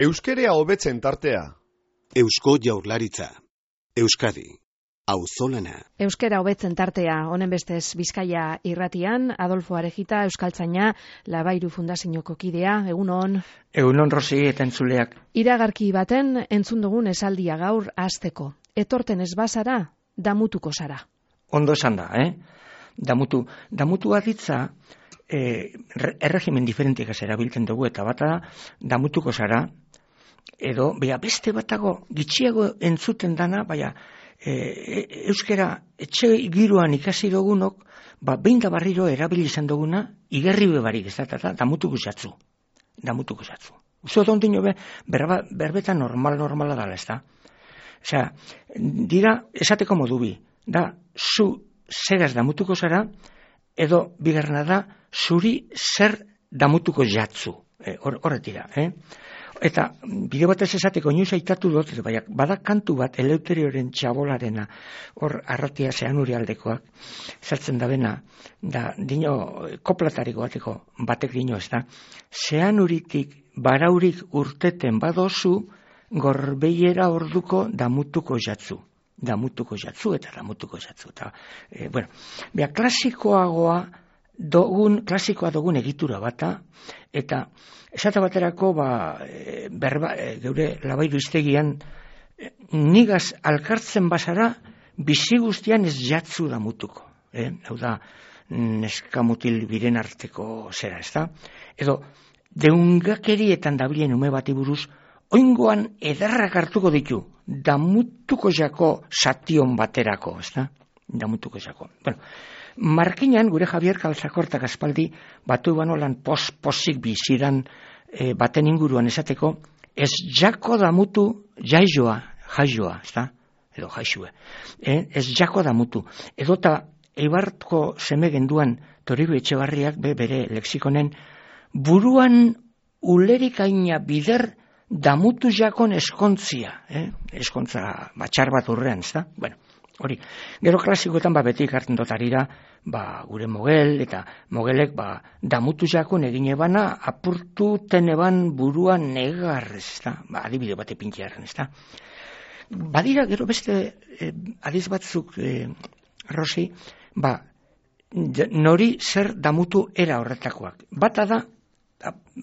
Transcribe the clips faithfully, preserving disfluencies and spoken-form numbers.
Euskerea hobetzen tartea. Eusko Jaurlaritza. Euskadi. Auzolana. Euskera hobetzen tartea, honen bestez Bizkaia irratian, Adolfo Arejita, euskaltzaina, Labairu Fundazioko kidea, egunon. Egunon, Rosi, eta entzuleak. Iragarki baten entzun dugun esaldia gaur hasteko. Etorten ez bazara, damutuko zara. Ondo esan da, eh? Damutu, damutu aditza, eh, erregimen diferentik erabiltzen dugu, eta bata damutuko zara, edo, bea, beste batago, gitxiago entzuten dana, baina, e, euskera etxe giroan ikasi dugunok, ba, behin da barriro erabili izan duguna, igerri bebarik ez da, eta damutuko zatzu. Damutuko zatzu. Uzo dondino be, berba, berbeta normal, normala dala, ez da. Osea, dira, esateko modu bi, da, zu zeraz damutuko zara, edo, bigarrena da, zuri zer damutuko jatzu. Horret dira, eh? Eta bide batez esateko inoiz aitatu dut, baina bada kantu bat Eleuterioren txabolarena, hor arratia zeanuri aldekoak, zartzen da bena, da dino koplatariko bateko batek dino ez da, zeanuritik baraurik urteten badozu, gorbeiera orduko damutuko jatzu. Damutuko jatzu eta damutuko jatzu. Eta, e, bueno, bea klasikoagoa dogun, klasikoa dogun egitura bata, eta esate baterako, ba, e, berba, e, geure Labairu iztegian, e, nigaz alkartzen bazara, bizi guztian ez jatzu damutuko. Eh? Hau da, neskamutil biren arteko zera, ez da? Edo, deungakerietan dabilen ume bati buruz, oingoan ederrak hartuko ditu, damutuko jako sation baterako, ez da? Damutuko jako. Bueno, Markinan, gure Javier Calzakortak aspaldi, batu banolan pos-posik biziran e, baten inguruan esateko, ez jako damutu jaioa, jaioa, ez da? Edo jaixue. E, ez jako damutu. Edo eta Eibarko seme genduan Toribio Etxebarriak be, bere lexikonen, buruan ulerikaina bider damutu jakon eskontzia. Eh? Eskontza batxar bat urrean, ez da? Bueno. Hori, gero klasikoetan ba beti ikartzen dotarira, ba gure mogel, eta mogelek ba damutu jakon egin ebana, apurtu teneban buruan negar, ez da, ba adibide bate pintxearen, ez da. Badira, gero beste eh, adiz batzuk, eh, Rosi, ba, nori zer damutu era horretakoak. Bata da,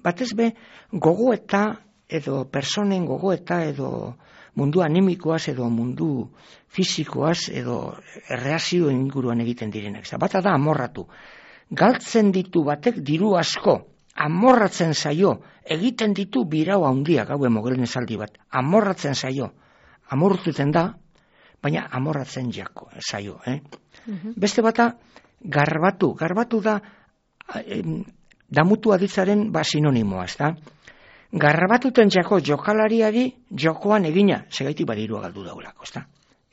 batez be, gogoeta, edo personen gogoeta, edo mundu animikoaz edo mundu fisikoaz edo erreazio inguruan egiten direnak. Bata da amorratu. Galtzen ditu batek diru asko, amorratzen zaio, egiten ditu birau handiak, hau emogelen esaldi bat, amorratzen zaio, amorrututen da, baina amorratzen jako zaio. Eh? Uh-huh. Beste bata, garbatu, garbatu da em, damutu aditzaren ba sinonimoa, ez da? Garbatuten jako jokalariari jokoan egina, segaiti badirua galdu daulako, ezta?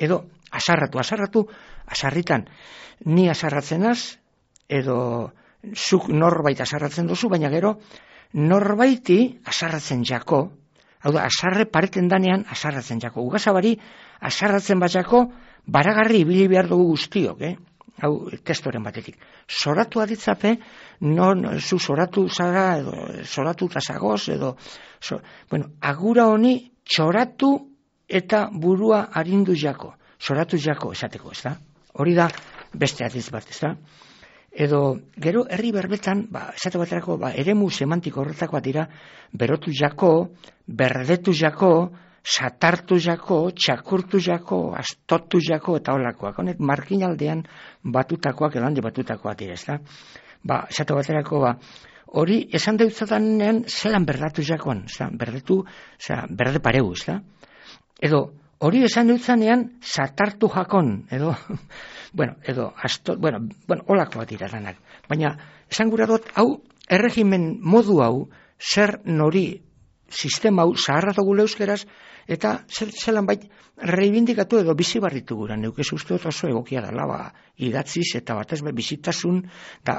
Edo, asarratu, asarratu, asarritan, ni asarratzenaz, edo zuk norbait asarratzen duzu, baina gero, norbaiti asarratzen jako, hau da, asarre pareten danean asarratzen jako. Ugazabari, asarratzen bat jako, baragarri ibili behar dugu guztiok, eh? Hau, testoren batetik. Zoratu aditzape, non zu zoratu zara, edo zoratu tazagoz, edo, so, bueno, agura honi txoratu eta burua arindu jako. Zoratu jako esateko, ez da? Hori da beste adiz bat, ez da? Edo, gero, herri berbetan, ba, esate baterako, ba, eremu semantiko horretakoa dira, berotu jako, berdetu jako, satartu jako, txakurtu jako, astotu jako, eta holakoak. Honek, markinaldean batutakoak, edo handi batutakoak dira, ez da? Ba, esate baterako, ba, hori esan deutzatanean zelan berdatu jakoan, ez da? Berdetu, oza, berde pareu, ez da? Edo, hori esan deutzanean satartu jakon, edo, bueno, edo, astot, bueno, bueno, holakoak dira danak. Baina, esan gura dut, hau, erregimen modu hau, zer nori, sistema hau, zaharra dugu euskeraz, eta zelan bait reibindikatu edo bizi barritu gura, neukez uste dut oso egokia dela, ba, idatziz eta batez be bizitasun, eta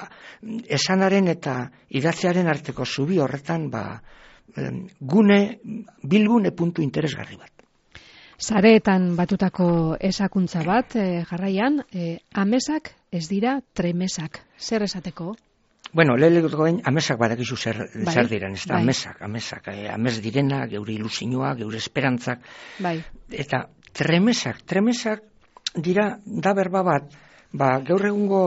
esanaren eta idatziaren arteko zubi horretan, ba, gune, bilgune puntu interesgarri bat. Sareetan batutako esakuntza bat, eh, jarraian, eh, amesak ez dira tremesak. Zer esateko? Bueno, leheneko gain, amesak badakizu zer, bai, zer diren, ez da, bai. amesak, amesak, eh, amez direna, geure ilusioa, geure esperantzak, Bai. eta tremesak, tremesak dira, da berba bat, ba, gaur egungo,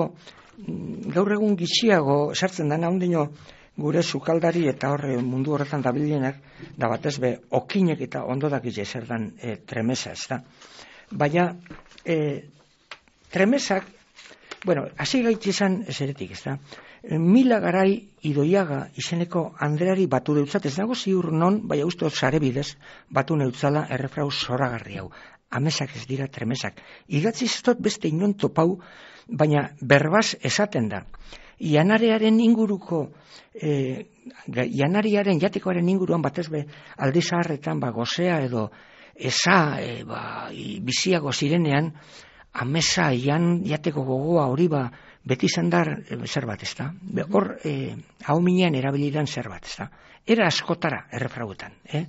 gaur egun gitxiago sartzen dana, ondino gure sukaldari eta horre mundu horretan dabilenak, da batez be, okinek eta ondo dakitze zer dan e, tremesa, ez da. Baina, e, tremesak, bueno, hasi gaitzi izan eseretik, ez da. Mila Garai Idoiaga izeneko Andreari batu deutzat, ez dago ziur non, baina uste sare bidez, batu neutzala errefrau zoragarri hau. Amesak ez dira tremesak. Idatzi zestot beste inon topau, baina berbaz esaten da. Janarearen inguruko, e, janariaren jatekoaren inguruan batez be aldi zaharretan ba, gozea edo eza e, ba, biziago zirenean, amesa jan jateko gogoa hori ba, beti zendar e, zer bat ez da. Hor, e, hau minean erabilidan zer bat ez da. Era askotara errefrauetan. Eh?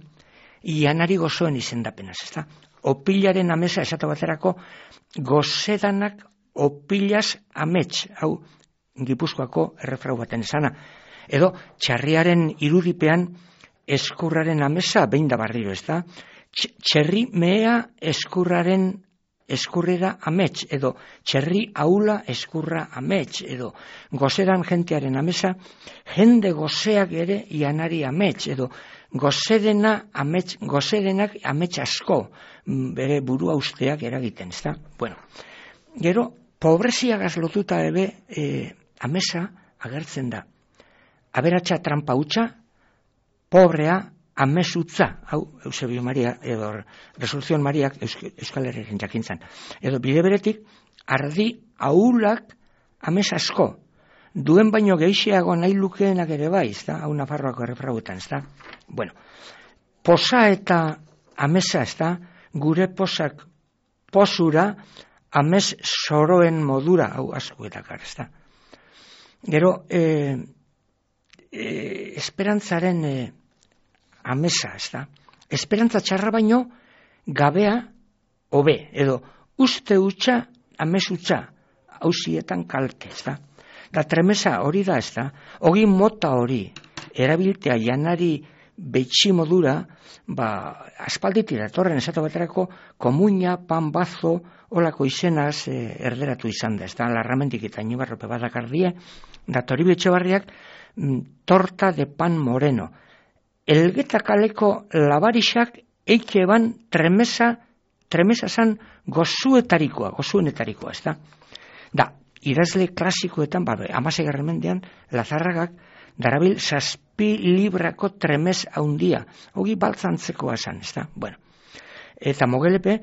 Janari gozoen izendapenaz ez da. Opilaren amesa esatu baterako gozedanak opilaz amets, hau Gipuzkoako errefrau baten esana. Edo txarriaren irudipean eskurraren amesa behin da barriro, ez da? Txerri mea eskurraren eskurrera amets, edo txerri aula eskurra amets, edo gozedan jentearen amesa, jende gozeak ere janari amets, edo gozedena amets, gozedenak amets asko, bere burua usteak eragiten, ez da? Bueno, gero, pobreziagaz lotuta ebe e, amesa agertzen da. Aberatsa trampa hutsa, pobrea amesutza, hau Eusebio Maria, edo Resoluzion Mariak Euskal Herriaren jakintzan. Edo bide beretik, ardi ahulak ames asko, duen baino geixiago nahi lukeenak ere bai, ez da, hau Nafarroako errefrauetan, ez da. Bueno, posa eta amesa, ez da, gure posak posura, amez soroen modura, hau asko eta kar, ez da. Gero, e, e, esperantzaren e, amesa, ez da. Esperantza txarra baino, gabea, hobe, edo uste utxa, amez utxa, hausietan kalte, ez da. Da tremesa hori da, ez da. Ogi mota hori, erabiltea janari betxi modura, ba, aspalditi datorren esatu baterako, komuina, pan bazo, olako izenaz e, erderatu izan da, ez da, larramendik eta inibarrope badakardie, da Toribio Etxebarriak m, torta de pan moreno. Elgeta kaleko labarixak eike eban tremesa, tremesa zan gozuetarikoa, gozuenetarikoa, ez da. Da, idazle klasikoetan, ba, amasegarren mendean, Lazarragak, darabil zazpi librako tremez haundia. Hogi baltzantzekoa esan, ez da? Bueno, eta Mogelepe,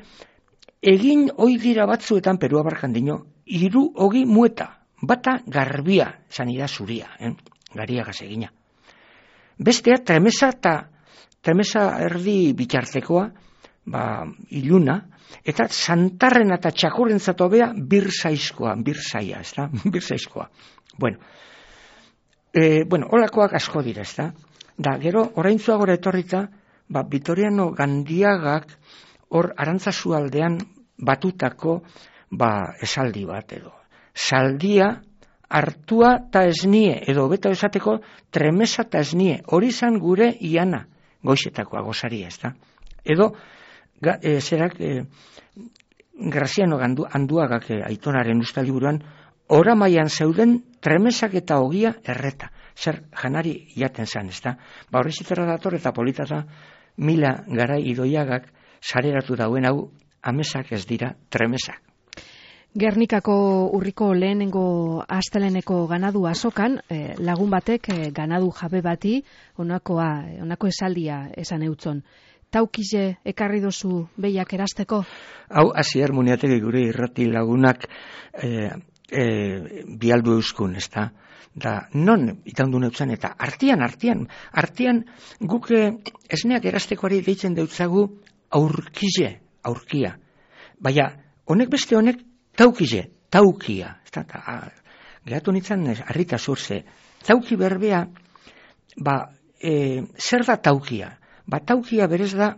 egin hoi dira batzuetan Perua Barkandino, hiru hogi mueta, bata garbia, zanida zuria, eh? Gariagaz egina. Bestea tremesa eta tremesa erdi bitartekoa, ba, iluna, eta santarren eta txakurren zatobea birzaizkoa, birzaia, ez da? Birzaizkoa. Bueno, e, bueno, holakoak asko dira, ez da? Da, gero, oraintzua gora etorrita, ba, Vitoriano Gandiagak hor Arantzazu aldean batutako ba, esaldi bat edo. Saldia hartua ta esnie, edo beta esateko tremesa ta esnie, hori zan gure iana, goixetakoa gozaria, ez da? Edo, ga, e, zerak, e, Graziano gandu, Anduagak e, Aitonaren ustaliburuan, oramaian zeuden tremesak eta ogia erreta. Zer janari jaten zan, ez da? Ba, horri zitera dator eta politata Mila Garai Idoiagak sareratu dauen hau, amesak ez dira tremesak. Gernikako urriko lehenengo asteleneko ganadu azokan, eh, lagun batek eh, ganadu jabe bati onakoa, onako esaldia esan eutzon. Taukize ekarri dozu behiak erasteko? Hau, hasier muniategi gure irrati lagunak eh, eh, bialdu euskun, ez da? Da, non itandu neutzen, eta artian, artian, artian guke esneak erastekoari deitzen deutzagu aurkize, aurkia. Baina, honek beste honek taukize, taukia. Gehatu nintzen, harrita zurze, tauki berbea, ba, e, zer da taukia? Ba, taukia berez da,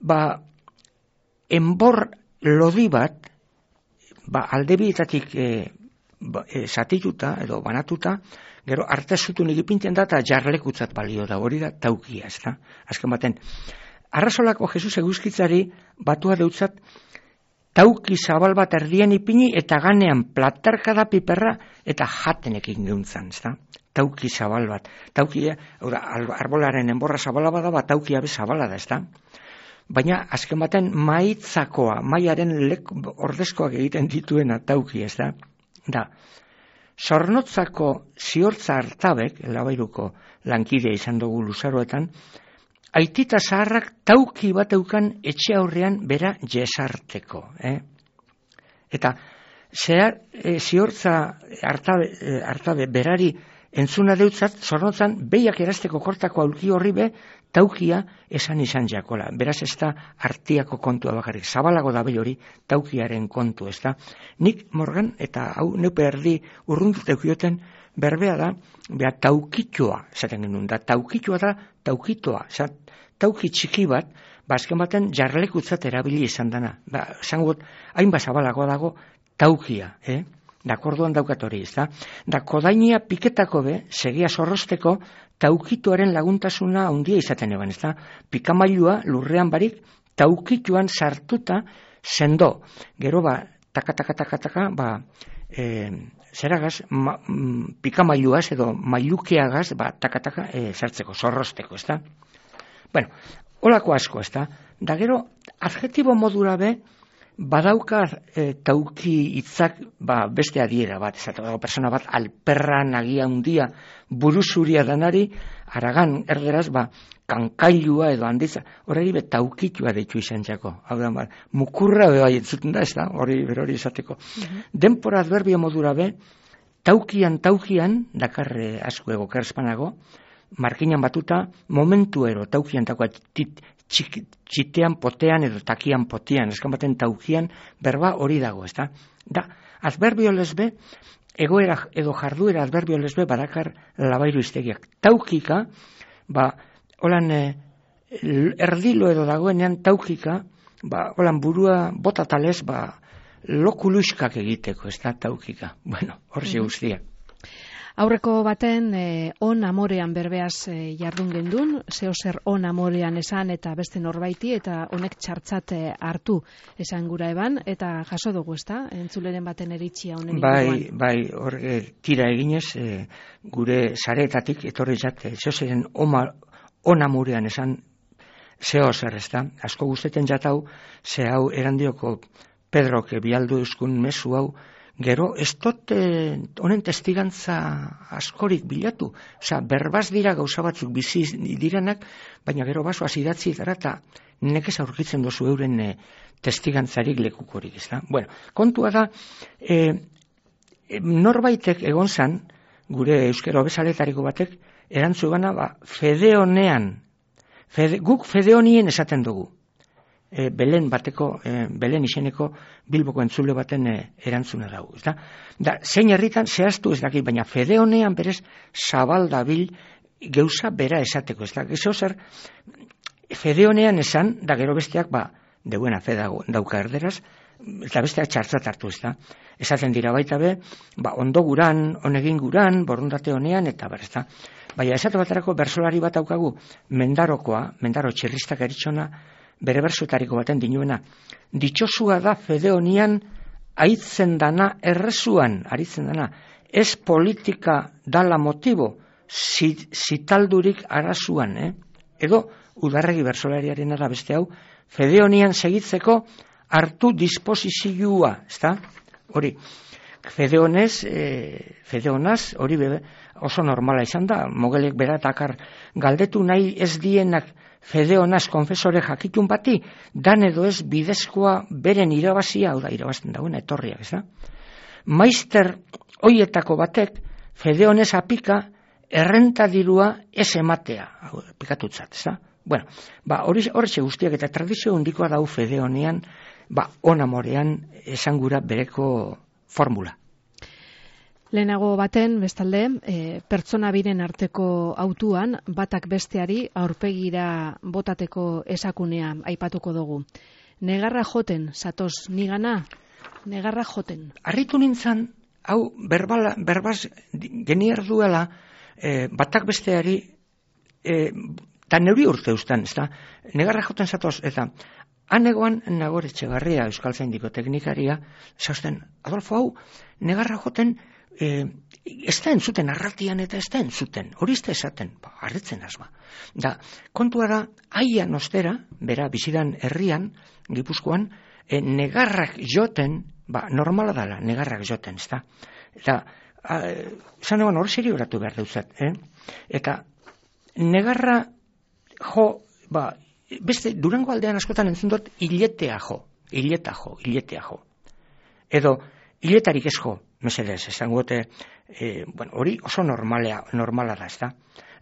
ba, enbor lodi bat, ba, aldebietatik e, e, zatituta edo banatuta, gero artezutun egipinten da eta jarlekutzat balio da, hori da taukia, ez da? Azken baten, Arrasolako Jesus eguzkitzari batua deutzat tauki zabal bat erdien ipini eta ganean platarkada piperra eta jatenekin geuntzan, ez da? Tauki zabal bat. Taukia, arbolaren enborra zabala bada, bat taukia be zabala da, ez da? Baina, azken baten, maitzakoa, maiaren lek ordezkoak egiten dituena tauki, ez da? Da, zornotzako ziortza hartabek, Labairuko lankidea izan dugu luzaroetan, aitita zaharrak tauki bat eukan etxe aurrean bera jesarteko. Eh? Eta zehar, e, ziortza hartabe, e, hartabe berari entzuna deutzat, zornotzan, behiak erazteko kortako aulki horri be, taukia esan izan jakola. Beraz ez da artiako kontua bakarrik. Zabalago da behi hori taukiaren kontu, ez da. Nik Morgan, eta hau neupe erdi urrundut eukioten, berbea da, beha taukitxoa, esaten genuen, da taukitxoa da taukitoa, zat, tauki txiki bat, bazken baten jarlekutzat erabili izan dana. Ba, zangot, hainba zabalago dago taukia, eh? Da, kordoan daukat hori, ez da? Da, kodainia piketako be, segia zorrosteko, taukituaren laguntasuna handia izaten eban, ez da? Pikamailua lurrean barik, taukituan sartuta sendo. Gero ba, taka, taka, taka, taka, ba, e, zeragaz, ma, m, pikamailuaz edo mailukeagaz, ba, taka, taka, e, sartzeko, zorrosteko, ez da? Bueno, holako asko, ez da? Da, gero, adjetibo modura be, badauka e, tauki hitzak ba, beste adiera bat, ez da, persona bat alperra nagia hundia buruzuria danari, aragan erderaz, ba, kankailua edo handitza, horregi be taukitua deitu izan jako. Hau da, ba, mukurra be bai entzuten da, ez da, hori berori izateko. Uh-huh. Denpora adverbio modura be, taukian, taukian, dakarre asko ego kerspanago, markinan batuta, momentu ero, taukian, taukian, tit, txik, txitean, potean edo takian, potean, eskan baten taukian, berba hori dago, ez da? Da, adverbio lesbe, egoera edo jarduera adverbio lesbe badakar Labairu iztegiak. Taukika, ba, holan e, erdilo edo dagoenean taukika, ba, holan burua botatales, ba, lokuluskak egiteko, ez da, taukika. Bueno, hor ze guztiak. Aurreko baten eh, on amorean berbeaz eh, jardun gendun, zeo zer on amorean esan eta beste norbaiti eta honek txartzat eh, hartu esan gura eban, eta jaso dugu, ez da? Entzuleren baten eritxia honen bai, inguruan. Bai, hor e, tira eginez, e, gure sareetatik etorri zat, e, zeo zeren oma, on amorean esan zeo zer, ez da? Asko guzteten jatau, ze hau erandioko Pedrok bialdu euskun mesu hau, gero, ez dut honen testigantza askorik bilatu. Osa, berbaz dira gauza batzuk bizi direnak, baina gero basoaz idatzi dara eta nekez aurkitzen dozu euren e, testigantzarik lekukorik, ez da? Bueno, kontua da, e, e, norbaitek egon zan, gure euskera bezaletariko batek, erantzu gana, ba, fedeonean, fede, guk fedeonien esaten dugu. E, Belen bateko, e, Belen izeneko Bilboko entzule baten e, erantzuna dago, ez da? Da, zein herritan zehaztu ez daki, baina fedeonean berez zabaldabil geuza bera esateko, ez da? Gezo zer, fedeonean esan, da gero besteak, ba, de buena fe dago, dauka erderaz, eta besteak txartzat hartu, ez da? Esaten dira baita be, ba, ondo guran, onegin guran, borundate honean, eta ber, ez da? Baina esate baterako bersolari bat daukagu, mendarokoa, mendaro txirristak eritxona, bere bersuetariko baten dinuena, ditxosua da fedeonian aitzen dana errezuan, aritzen dana, ez politika dala motibo, zitaldurik arazuan, eh? Edo, udarregi bersolariaren da beste hau, fedeonian segitzeko hartu disposizioa, ez da? Hori, fedeonez, e, fedeonaz, hori bebe, oso normala izan da, mogelek beratakar galdetu nahi ez dienak fedeonaz konfesore jakitun bati, dan edo ez bidezkoa beren irabazia, hau da, irabazten dagoen etorriak, ez da? Maister hoietako batek, fedeonez apika, errentadirua ez ematea, hau, pikatutzat, ez da? Bueno, ba, hori horretxe guztiak eta tradizio hundikoa dau fedeonean, ba, onamorean esangura bereko formula. Lehenago baten, bestalde, e, pertsona biren arteko autuan, batak besteari aurpegira botateko esakunea aipatuko dugu. Negarra joten, zatoz, nigana, negarra joten. Arritu nintzen, hau berbala, berbaz genier duela e, batak besteari e, eta neuri urte ustan, ez da, negarra joten zatoz, eta anegoan Nagore Etxebarria, Euskaltzaindiko teknikaria, zausten, Adolfo, hau, negarra joten, e, ez da entzuten arratian eta ez da entzuten, hori ez da esaten, ba, harritzen azba. Da, kontua da, aian ostera, bera, bizidan herrian, Gipuzkoan, e, negarrak joten, ba, normala dala, negarrak joten, ez da. Eta, zan egon hori seri horatu behar duzat, eh? Eta, negarra jo, ba, beste, Durango aldean askotan entzun dut, hiletea jo, hileta jo, hiletea jo. Edo, hiletarik ez jo, mesedez, esango gote, e, bueno, hori oso normalea, normala da, ez da.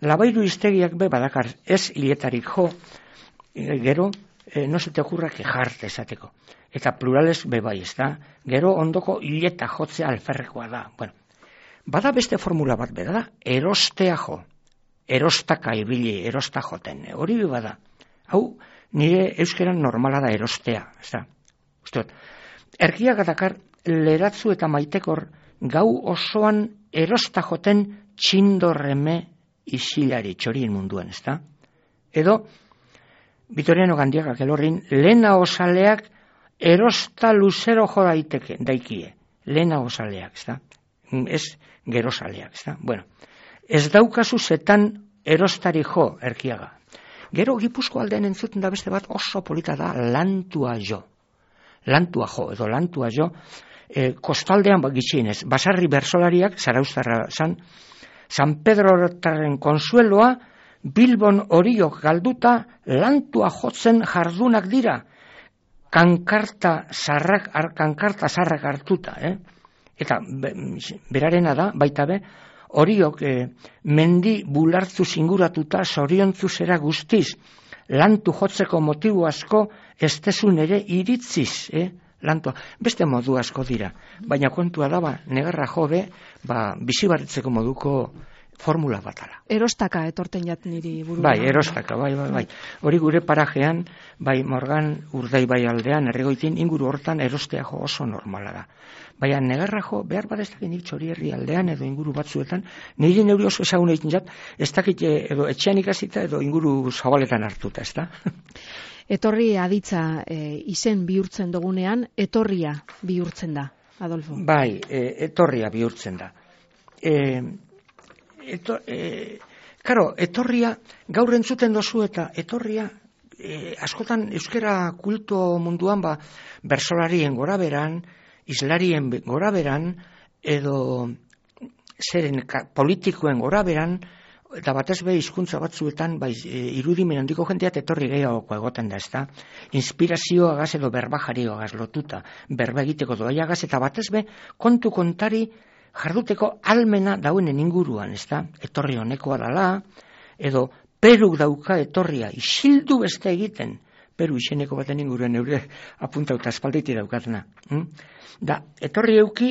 Labairu iztegiak be badakar ez hiletarik jo, e, gero, e, no se te ocurra quejarte esateko. Eta plurales be bai, ez da. Gero ondoko hileta jotzea alferrekoa da. Bueno, bada beste formula bat beda da, erostea jo. Erostaka ibili, erosta joten. Hori be bada. Hau, nire euskeran normala da erostea, ez da. Uste, erkiak adakar, leratzu eta maitekor gau osoan erosta joten txindorreme isilari txorien munduan, ez da? Edo, Vitoriano Gandiagak elorrin, lehena osaleak erosta luzero jo daiteke, daikie. Lehena osaleak, ez da? Ez gerosaleak, ez da? Bueno, ez daukazu zetan erostari jo, erkiaga. Gero Gipuzko aldean entzuten da beste bat oso polita da lantua jo. Lantua jo, edo lantua jo, e, kostaldean gitxienez, basarri bersolariak, zarauztarra zan, San Pedro Hortaren konsueloa, Bilbon horiok galduta, lantua jotzen jardunak dira, kankarta zarrak, kankarta zarrak hartuta, eh? Eta be, berarena da, baita be, horiok eh, mendi bulartzu zinguratuta zoriontzu zera guztiz, lantu jotzeko motibo asko ez tezun ere iritziz, eh? Lantua. Beste modu asko dira, baina kontua da, ba, negarra jode, ba, bizibarritzeko moduko formula batala. Erostaka etorten jat niri buru. Bai, erostaka, bai, bai, bai. Hori gure parajean, bai, Morgan Urdai bai aldean, erregoitin inguru hortan erostea jo oso normala da. Baina negarra jo, behar bat ez dakit nik txori herri aldean edo inguru batzuetan, niri neuri oso ezagun egiten jat, ez dakit edo etxean ikasita edo inguru zabaletan hartuta, ez da? Etorri aditza e, izen bihurtzen dugunean, etorria bihurtzen da, Adolfo. Bai, e, etorria bihurtzen da. E, eto, e, karo, etorria, gaur entzuten dozu eta etorria, e, askotan euskera kulto munduan, ba, bersolarien gora beran, islarien gora beran, edo zeren politikoen gora beran, eta batez be hizkuntza batzuetan bai, irudimen handiko jendeat etorri gehiagoko egoten da, ezta? Inspirazioagaz edo berbajarioagaz lotuta, berba egiteko doaiagaz, eta batez be kontu kontari jarduteko almena dauenen inguruan, ezta? Etorri honekoa dala, edo Peruk dauka etorria, isildu beste egiten, Peru izeneko baten inguruan eure apuntauta espalditi daukatena. Hm? Da, etorri euki,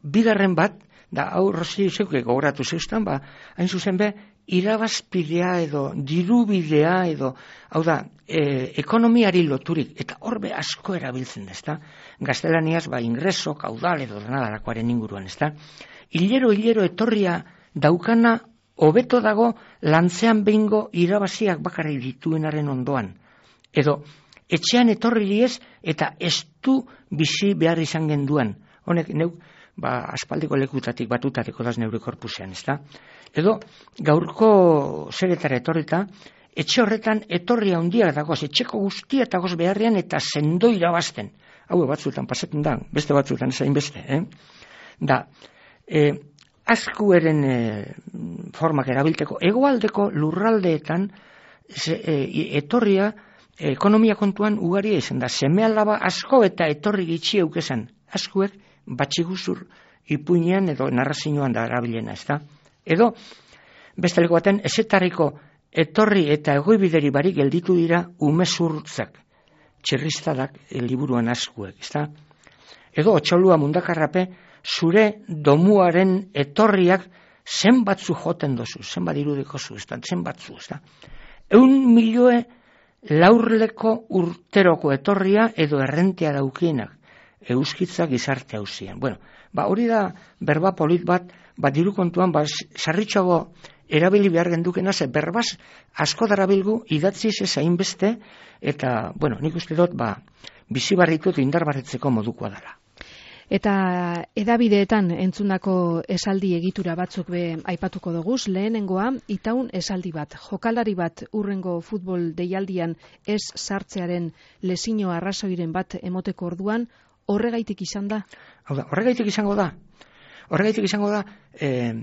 bigarren bat, da, hau Rosi zeuke gogoratu zeustan, ba, hain zuzen be, irabazpidea edo dirubidea edo, hau da, e, ekonomiari loturik, eta horbe asko erabiltzen da, ezta? Gaztelaniaz, ba, ingreso, kaudal edo denadarakoaren inguruan, ezta? Hilero, hilero etorria daukana hobeto dago lantzean behingo irabaziak bakarrik dituenaren ondoan. Edo, etxean etorri ez eta estu bizi behar izan genduan. Honek, neu, ba, aspaldiko lekutatik batutateko daz neure korpusean, ezta? Edo, gaurko zeretara etorrita, etxe horretan etorria handia dagoz, etxeko guztia dagoz beharrean eta sendo irabazten. Hau batzuetan pasetan da, beste batzuetan zain beste, eh? Da, e, askueren e, formak erabilteko, egoaldeko lurraldeetan ze, e, etorria e, ekonomia kontuan ugaria izan da, seme alaba asko eta etorri gitxi eukezan, askuek batxiguzur ipuinean edo narrazioan da erabilena, ez da? Edo, beste leko baten, ezetarriko etorri eta egoibideri barik gelditu dira umezurtzak, txirriztadak e, liburuan askuek, ez da? Edo, otxolua mundakarrape, zure domuaren etorriak zenbatzu joten dozu, zenbat irudiko zu, ez da, zenbatzu, ez da? Eun milioe laurleko urteroko etorria edo errentea daukienak. euskitza gizarte hauzian. Bueno, ba, hori da berba polit bat, ba, diru kontuan, ba, sarritxoago erabili behar gendukena, ze berbaz asko darabilgu idatziz ez hainbeste, eta, bueno, nik uste dut, ba, bizi barritut indarbarretzeko modukoa dela. Eta edabideetan entzundako esaldi egitura batzuk be aipatuko doguz, lehenengoa, itaun esaldi bat, jokalari bat urrengo futbol deialdian ez sartzearen lesino arrazoiren bat emoteko orduan, horregaitik izan da? Hau da, horregaitik izango da, horregaitik izango da, eh,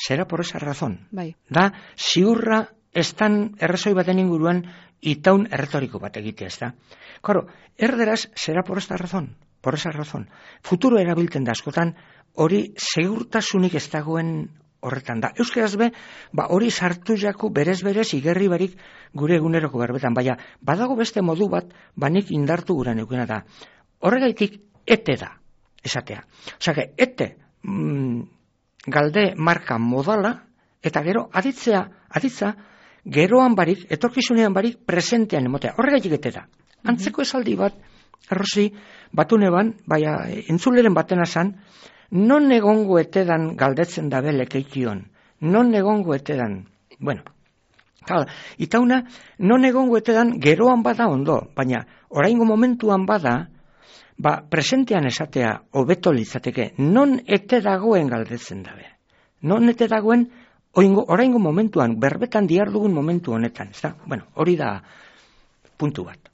zera por esa razón. Bai. Da, ziurra estan errazoi baten inguruan itaun erretoriko bat egitea, ez da. Claro, erderaz, zera por esta razón. Por esa razón. Futuro erabiltzen da askotan, hori segurtasunik ez dagoen horretan da. Euskaraz be, ba, hori sartu jaku berez-berez igerri barik gure eguneroko berbetan. Baina, badago beste modu bat, banik indartu gura neukena da. Horregaitik, ete da, esatea. Osea, ete mm, galde marka modala, eta gero, aditzea, aditza, geroan barik, etorkizunean barik, presentean emotea. Horregaitik ete da. Antzeko esaldi bat, Errosi, batuneban, baina entzuleren batena zan, non egongo etedan galdetzen dabe lekeikion, non egongo etedan, bueno, kala, itauna, non egongo etedan geroan bada ondo, baina oraingo momentuan bada, ba, presentean esatea hobeto litzateke, non ete dagoen galdetzen dabe, non ete dagoen oingo, oraingo momentuan, berbetan diardugun momentu honetan, ez da? Bueno, hori da puntu bat.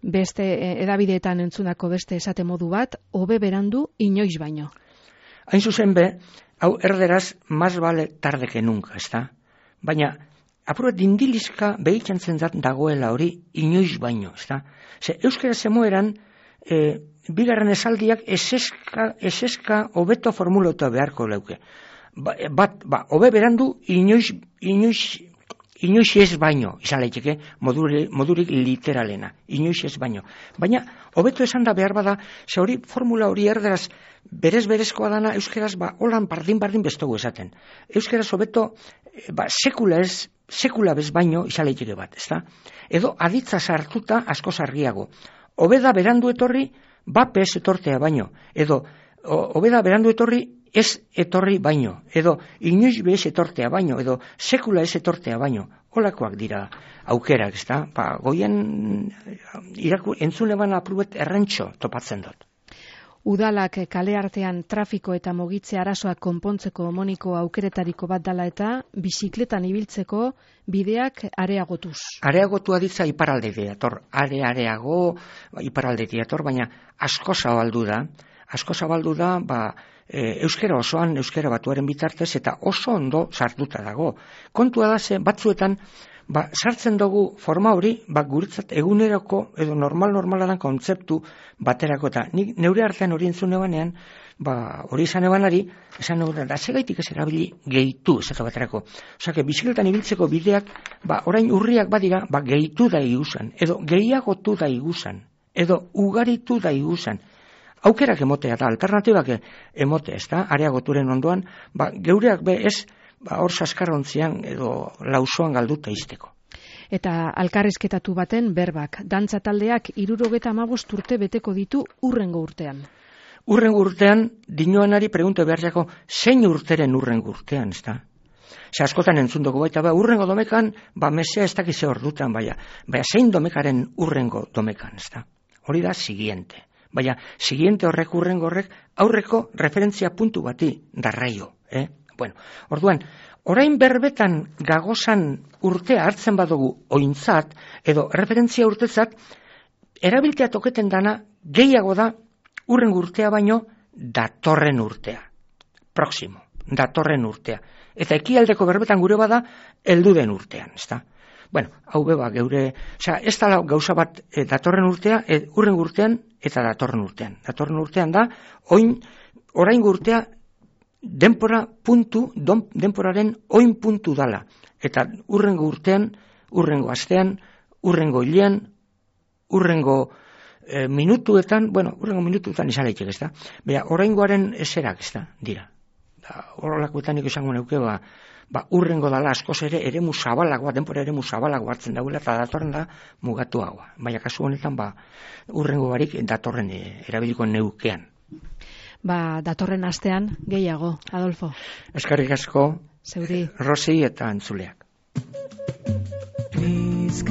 Beste edabideetan entzunako beste esate modu bat, hobe berandu inoiz baino. Hain zuzen be, hau erderaz, más vale tarde que nunca, ez da? Baina, apurat dindilizka behitzen zentzat dagoela hori inoiz baino, ez da? Ze, euskera zemoeran, e, bigarren esaldiak eseska, eseska hobeto formulatu beharko leuke. Ba, bat, ba, hobe berandu inoiz, inoiz, inoiz ez baino, izan laiteke, modurik, modurik literalena, inoiz ez baino. Baina, hobeto esan da behar bada, ze hori formula hori erderaz, berez-berezkoa dana, euskeraz, ba, holan bardin-bardin bestogu esaten. Euskeraz hobeto, ba, sekula ez, sekula bez baino, izan laiteke bat, ezta? Edo, aditza sartuta asko argiago. Hobeda berandu etorri, bape ez etortea baino. Edo, hobeda berandu etorri, ez etorri baino, edo inoiz bez etortea baino, edo sekula ez etortea baino, holakoak dira aukerak, ez da? Ba, goien iraku, entzune bana aprubet errentxo topatzen dut. Udalak kale artean trafiko eta mogitze arazoak konpontzeko moniko aukeretariko bat dala eta bizikletan ibiltzeko bideak areagotuz. Areagotu aditza iparalde diator, are areago iparalde diator, baina asko zabaldu da, asko zabaldu da, ba, E, euskera osoan, euskera batuaren bitartez, eta oso ondo sartuta dago. Kontua da ze, batzuetan, ba, sartzen dugu forma hori, ba, guretzat eguneroko, edo normal-normaladan kontzeptu baterako, eta nik neure artean hori entzune banean, ba, hori izan ebanari, esan neure, da segaitik ez erabili gehitu, esatu baterako. Osake, bizikletan ibiltzeko bideak, ba, orain urriak badira, ba, gehitu da iguzan, edo gehiagotu da iguzan, edo ugaritu da iguzan. Aukerak emotea da, alternatibak emote, ez da, areagoturen ondoan, ba, geureak be ez, ba, hor saskarontzian edo lausoan galduta izteko. Eta alkarrizketatu baten berbak, dantza taldeak hirurogeta hamabost urte beteko ditu urrengo urtean. Urrengo urtean, dinoanari pregunto behar jako, zein urteren urrengo urtean, ez da? Ze askotan entzundoko baita, ba, urrengo domekan, ba, mesea ez dakize hor dutan, baina, baina zein domekaren urrengo domekan, ez da? Hori da, siguiente. Baina, siguiente horrek urrengo horrek, aurreko referentzia puntu bati darraio. Eh? Bueno, orduan, orain berbetan gagozan urtea hartzen badugu ointzat, edo referentzia urtezat, erabiltea toketen dana gehiago da urrengo urtea baino datorren urtea. Próximo, datorren urtea. Eta ekialdeko berbetan gure bada, heldu den urtean, ezta? Bueno, hau beba, geure, osea, ez da gauza bat e, datorren urtea, e, urrengo urtean, eta datorren urtean. Datorren urtean da, oin, orain urtea, denpora puntu, don, denporaren oin puntu dala. Eta urrengo urtean, urrengo astean, urrengo hilean, urrengo e, minutuetan, bueno, urrengo minutuetan izan leitek, ez da? Bea, oraingoaren eserak, ez da, dira. Horrelakoetan nik esango neuke, ba, ba, urrengo dala askoz ere eremu zabalagoa, denpora eremu zabalagoa hartzen dauela, eta datorren da mugatu hau. Baina kasu honetan, ba, urrengo barik datorren e, erabiliko neukean. Ba, datorren astean gehiago, Adolfo. Eskerrik asko, Zeuri. Rosi eta entzuleak. Please,